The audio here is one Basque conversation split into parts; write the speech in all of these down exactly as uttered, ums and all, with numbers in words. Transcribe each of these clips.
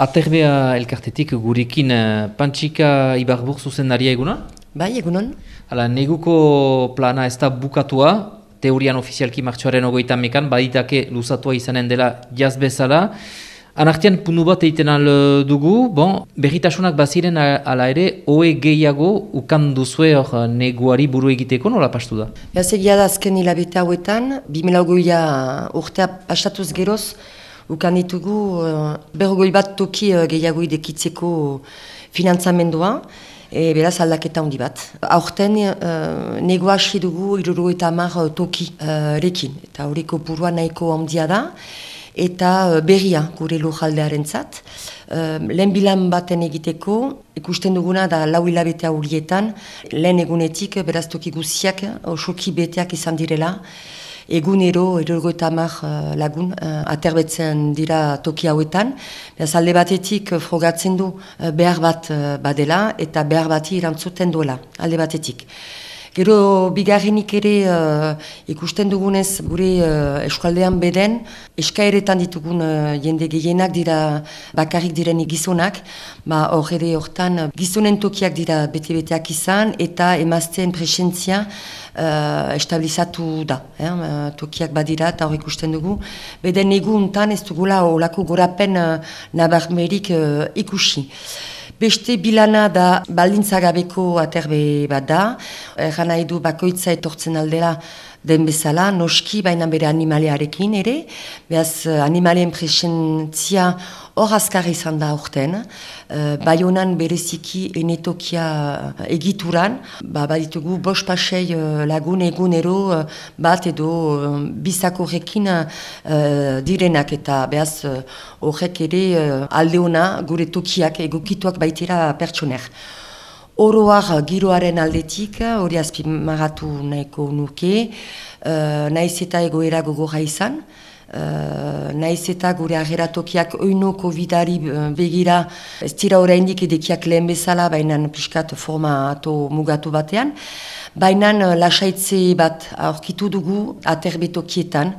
Aterbea elkartetik gurekin uh, Pantsika Ibarbur zuzendaria egunon? Bai, egunon. Hala, neguko plana ez da bukatua, teorian ofizialki martxoaren ogoita mekan, baditake luzatua izanen dela jaz bezala. Anartian puntu bat egiten al dugu, bon, berritasunak baziren ala ere, oe gehiago ukan duzue hor neguari buru egiteko, nola pastu da? Beaz egia da azken hilabete hauetan, bi mila hogeia urtea pastatuz geroz, ukan ditugu uh, berrogoi bat toki uh, gehiago idekitzeko finantzamendua, e, beraz aldaketa handi bat. Aurten uh, negua hasi dugu hirurogeita hamar toki uh, rekin, eta horiko burua nahiko handia da, eta uh, berria gure lujaldearentzat. Uh, lehen bilan baten egiteko, ikusten duguna da lau hilabete horietan, lehen egunetik beraz toki guziak osoki beteak izan direla, egunero hirurogeita hamar uh, lagun uh, aterbetzen dira toki hauetan. Beraz alde batetik uh, frogatzen du uh, behar bat uh, badela eta behar bati irantzuten duela alde batetik. Gero bigarrenik ere uh, ikusten dugunez gure uh, eskualdean beden eskaeretan ditugun uh, jende gehienak dira bakarrik diren gizonak, ba hor ere hortan gizonen tokiak dira bete-beteak izan eta emazteen presentzia uh, estabilizatu da. Eh? Tokiak badira eta hor ikusten dugu. Beden eguntan ez dugula olako gorapen uh, nabarmerik uh, ikusi. Beste bilana da baldintzagabeko aterbe bat da, erran nahi du bakoitza etortzen aldera den bezala, noski baina bere animalearekin ere, behaz animaleen presentzia hor azkar izan da aurten, uh, Baionan bereziki enetokia egituran, ba, baditugu bost pasei uh, lagun egunero uh, bat edo uh, bizakorrekin uh, direnak eta behaz horrek uh, ere uh, aldeona gure tokiak egokituak baitira pertsoner. Oroar giroaren aldetik, hori azpimarratu nahiko nuke, uh, naiz eta egoera gogorra izan, uh, naiz eta gure ageratokiak oino covidari begira, ez dira oraindik edekiak lehen bezala, baina pixkat formato mugatu batean, baina lasaitze bat aurkitu dugu aterbetokietan,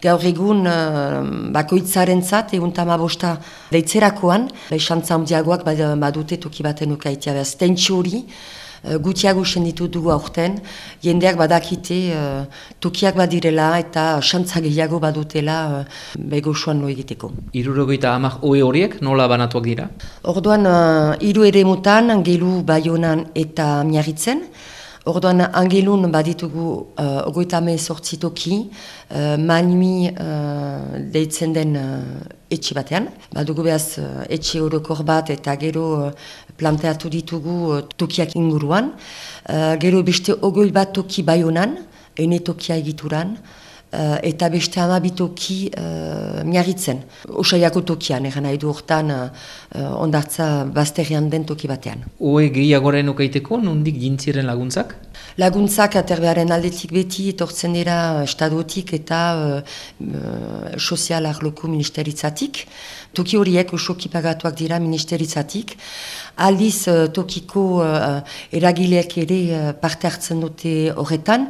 gaur egun uh, bakoitzarentzat egun tamabosta deitzerakoan, xantza handiagoak badute toki baten ukaitea behaz. Tentsio hori uh, gutiago senditu dugu aurten, jendeak badakite uh, tokiak badirela eta xantza gehiago badutela uh, begosuan lo egiteko. Hirurogeita hamar oe horiek nola banatuak dira? Orduan uh, hiru eremutan, Angelu, Baionan eta Miarritzen. Orduan Angelun baditugu uh, ogoita hemezortzi toki, uh, Manui uh, deitzen den uh, etxe batean. Badugu behaz uh, etxe orokor bat eta gero uh, planteatu ditugu uh, tokiak inguruan. Uh, gero beste ogoi bat toki Baionan, ene tokia egituran, uh, eta beste hamabitoki uh, Miarritzen. Osaiako tokian, eran nahi du hortan uh, ondartza bazterrean den toki batean. Oe gehiagoren ukaiteko, nondik jintziren laguntzak? Laguntzak aterbearen aldetik beti etortzen dira estadotik eta uh, uh, sozial arloko ministeritzatik. Toki horiek osoki pagatuak dira ministeritzatik. Aldiz uh, tokiko uh, eragileak ere uh, parte hartzen dute horretan.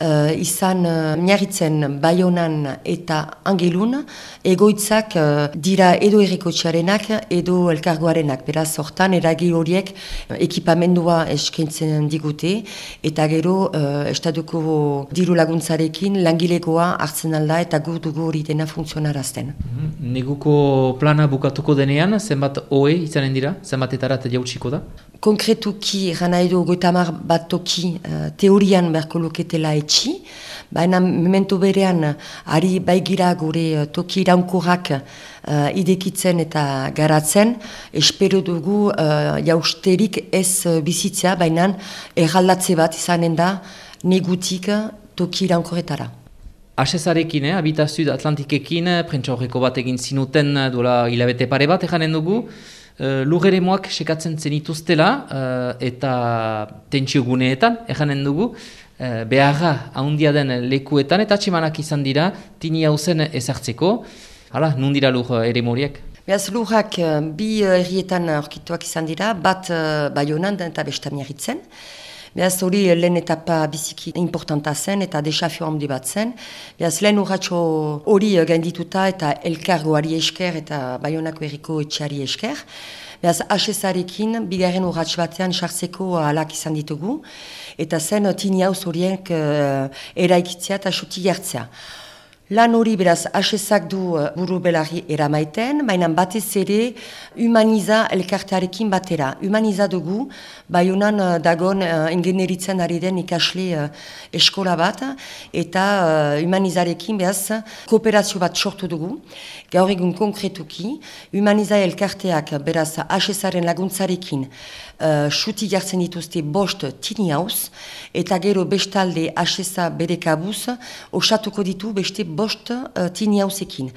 Uh, izan uh, Miarritzen, Baionan eta Angelun egoitzak uh, dira edo errikotxearenak edo elkargoarenak. Beraz hortan eragile horiek uh, ekipamendua eskaintzen digute eta gero uh, estaduko diru laguntzarekin langilegoa hartzen alda eta gu dugu hori dena funtzionarazten. Mm-hmm. Neguko plana bukatuko denean, zenbat oe izanen dira, zenbatetarat jautsiko da? Konkretuki, gana edo goitamar bat toki uh, teorian beharko luketela etxi, baina memento berean ari baigira gure uh, toki iraunkorrak uh, idekitzen eta garatzen, espero dugu uh, jausterik ez uh, bizitzea, baina erraldatze bat izanen da negutik toki iraunkorretara. Asezarekin, eh, Habitazio Atlantikekin, prentsa horreko bat egin zinuten duela hilabete pare bat eganen dugu, uh, lurreremoak sekatzen zenituztela uh, eta tentsio guneetan eganen dugu, uh, beharra handia den lekuetan eta atximanak izan dira, tini hauzen ezartzeko. Hala, nun dira lur eremoriek? Beaz lurrak bi herrietan aurkituak izan dira, bat uh, Baionan eta besta Miarritzen. Beaz hori lehen etapa biziki importanta zen eta desafio handi bat zen. Beaz lehen urratxo hori gaindituta eta elkargoari esker eta Baionako herriko etxeari esker. Beaz H S arekin bigarren urratx batean sartzeko alak izan ditugu eta zen tini hauz horiek uh, eraikitzea eta suti jartzea. Lan hori beraz H S-ak du buru belarri eramaiten, baina batez ere humaniza elkartearekin batera. Humaniza dugu, Baionan dagon uh, ingenieritzen ari den ikasle uh, eskola bat, eta uh, humanizarekin beraz kooperazio bat sortu dugu. Gaur egun konkretuki, humaniza elkarteak beraz H S-aren laguntzarekin Uh, suti jartzen dituzte bost tini hauz, eta gero bestalde H S A bere kabuz osatuko ditu beste bost uh, tini hauzekin.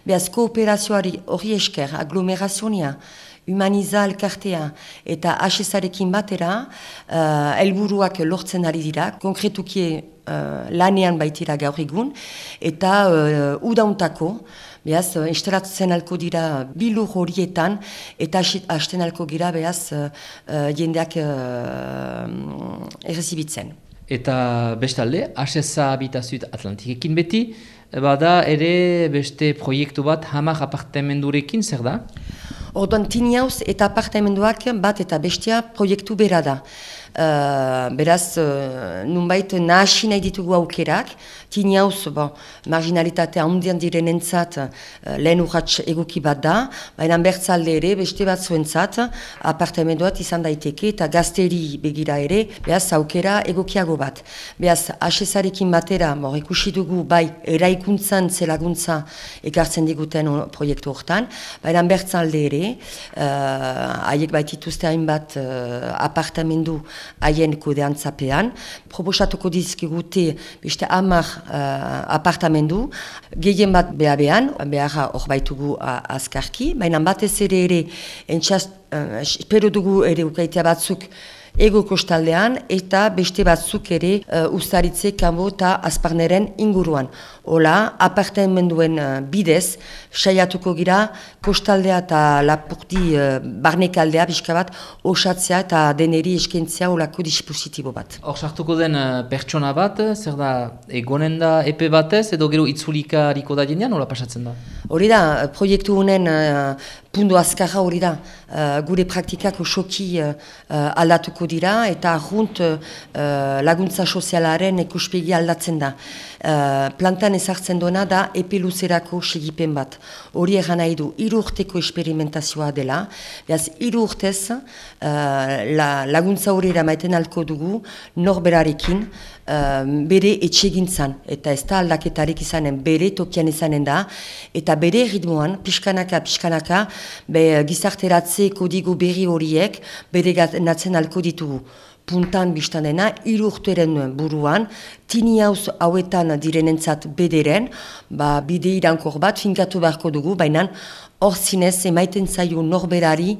Beaz kooperazioari hori esker, aglomerazionia, humaniza elkartea eta H S arekin batera uh, helburuak lortzen ari dira, konkretuki uh, lanean baitira gaur egun, eta uh, udauntako, Beaz, instalatzen alko dira bilur horietan eta hasten alko gira behaz uh, uh, jendeak uh, errezibitzen. Eta bestalde, H S A Habitazioet Atlantikekin beti, bada ere beste proiektu bat hamar apartamendurekin, zer da? Orduan, tini hauz eta apartamenduak bat eta bestea proiektu bera da. Uh, beraz, uh, nunbait nahasi nahi ditugu aukerak, tini hauz, bon, marginalitatea handian direnentzat uh, lehen urratx egoki bat da, baina bertzalde ere, beste bat zuentzat, apartamenduat izan daiteke eta gazteri begira ere, beraz, aukera egokiago bat. Beraz, H S arekin batera, bon, ikusi dugu bai eraikuntzan zelaguntza ekartzen diguten proiektu hortan, baina bertzalde ere, haiek uh, baitituzte hainbat uh, apartamendu haien kudeantzapean, proposatuko dizkigute beste hamar uh, apartamendu, gehien bat behabean, beharra hor baitugu uh, azkarki, baina batez ere ere, entxaz, uh, espero dugu ere ukaitea batzuk ego kostaldean eta beste batzuk ere uh, ustaritze kanbo eta azparneren inguruan. Hola, apartamenduen uh, bidez, saiatuko gira kostaldea eta lapurdi uh, barnekaldea pixka bat osatzea eta deneri eskentzea olako dispositibo bat. Hor sartuko den uh, pertsona bat, zer da, egonen da epe batez edo gero itzulika hariko da jenean, hola pasatzen da? Hori da, proiektu honen uh, pundu azkarra hori da, uh, gure praktikak osoki uh, uh, aldatuko dira eta junt uh, laguntza sozialaren ikuspegi aldatzen da. Uh, plantan ezartzen duena da epe luzerako segipen bat. Hori egan nahi du, hiru urteko esperimentazioa dela, behaz hiru urtez uh, la, laguntza hori eramaiten alko dugu norberarekin uh, bere etxegintzan, eta ez da aldaketarik izanen, bere tokian izanen da, eta bere ritmoan, pixkanaka, pixkanaka, be, gizarteratze kodigo berri horiek bere natzen alko ditugu. Puntan biztan dena, hiru urteren buruan, tini hauz hauetan direnentzat bederen, ba, bide irankor bat finkatu beharko dugu, baina hor zinez emaiten zaio norberari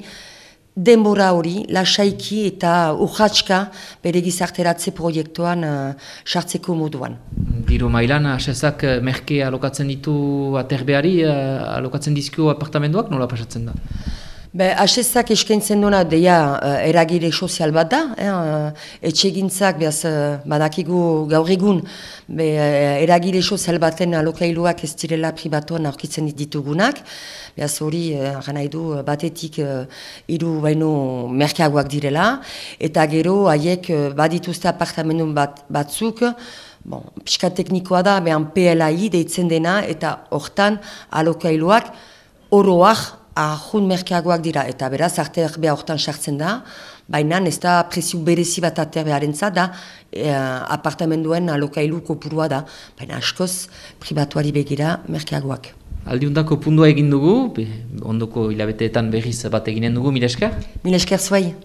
denbora hori, lasaiki eta urratska bere gizarteratze proiektuan sartzeko uh, moduan. Diru mailan, H S ak merke alokatzen ditu aterbeari, uh, alokatzen dizkio apartamenduak, nola pasatzen da? Be, H S ak eskaintzen duena deia uh, eragile sozial bat da, eh, uh, etxegintzak behaz uh, badakigu gaur egun be, uh, eragile sozial baten alokailuak ez direla pribatuan aurkitzen ditugunak, behaz hori uh, nahi du batetik uh, hiru baino merkeagoak direla, eta gero haiek uh, badituzte apartamendu bat, batzuk, bon, pixka teknikoa da, behan P L A I deitzen dena, eta hortan alokailuak oroak ahun merkeagoak dira, eta beraz arterbea hortan sartzen da, baina ez da prezio berezi bat aterbearentzat da, e, apartamenduen alokailu kopurua da, baina askoz pribatuari begira merkeagoak. Aldiundako pundua egin dugu, ondoko hilabeteetan berriz bat eginen dugu, mila esker? Mila esker zuai.